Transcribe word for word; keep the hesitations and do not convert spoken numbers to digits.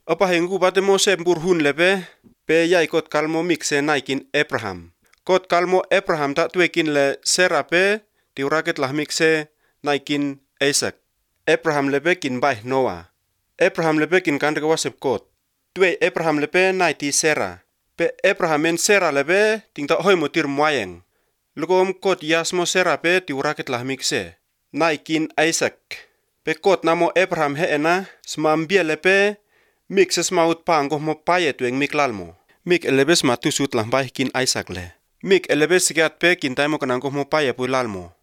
Apa hengu bate mo se burhun lebe pe yai kot kalmo mikse naikin Abraham. Kot kalmo Abraham ta tuekin le Sarah pe tiuraket lah mikse naikin Isaac. Abraham lebe kin bai Noah. Abraham lebe kin kan wasep kot. Tue Abraham lebe naiti Sarah. Pe Abraham en Sarah lebe tingta hoi motir moyeng. Lugom kot yasmo Sarah pe tiuraket lah mikse naikin Isaac. Pe kot namo Abraham he ena smambia lebe mikse smaut panggo mo paye tueng miklalmo. Mik elebes matusut lah bai kin Isaac le. Mik elebes sikat pe kintai mo kananggo mo paye pu lalmo.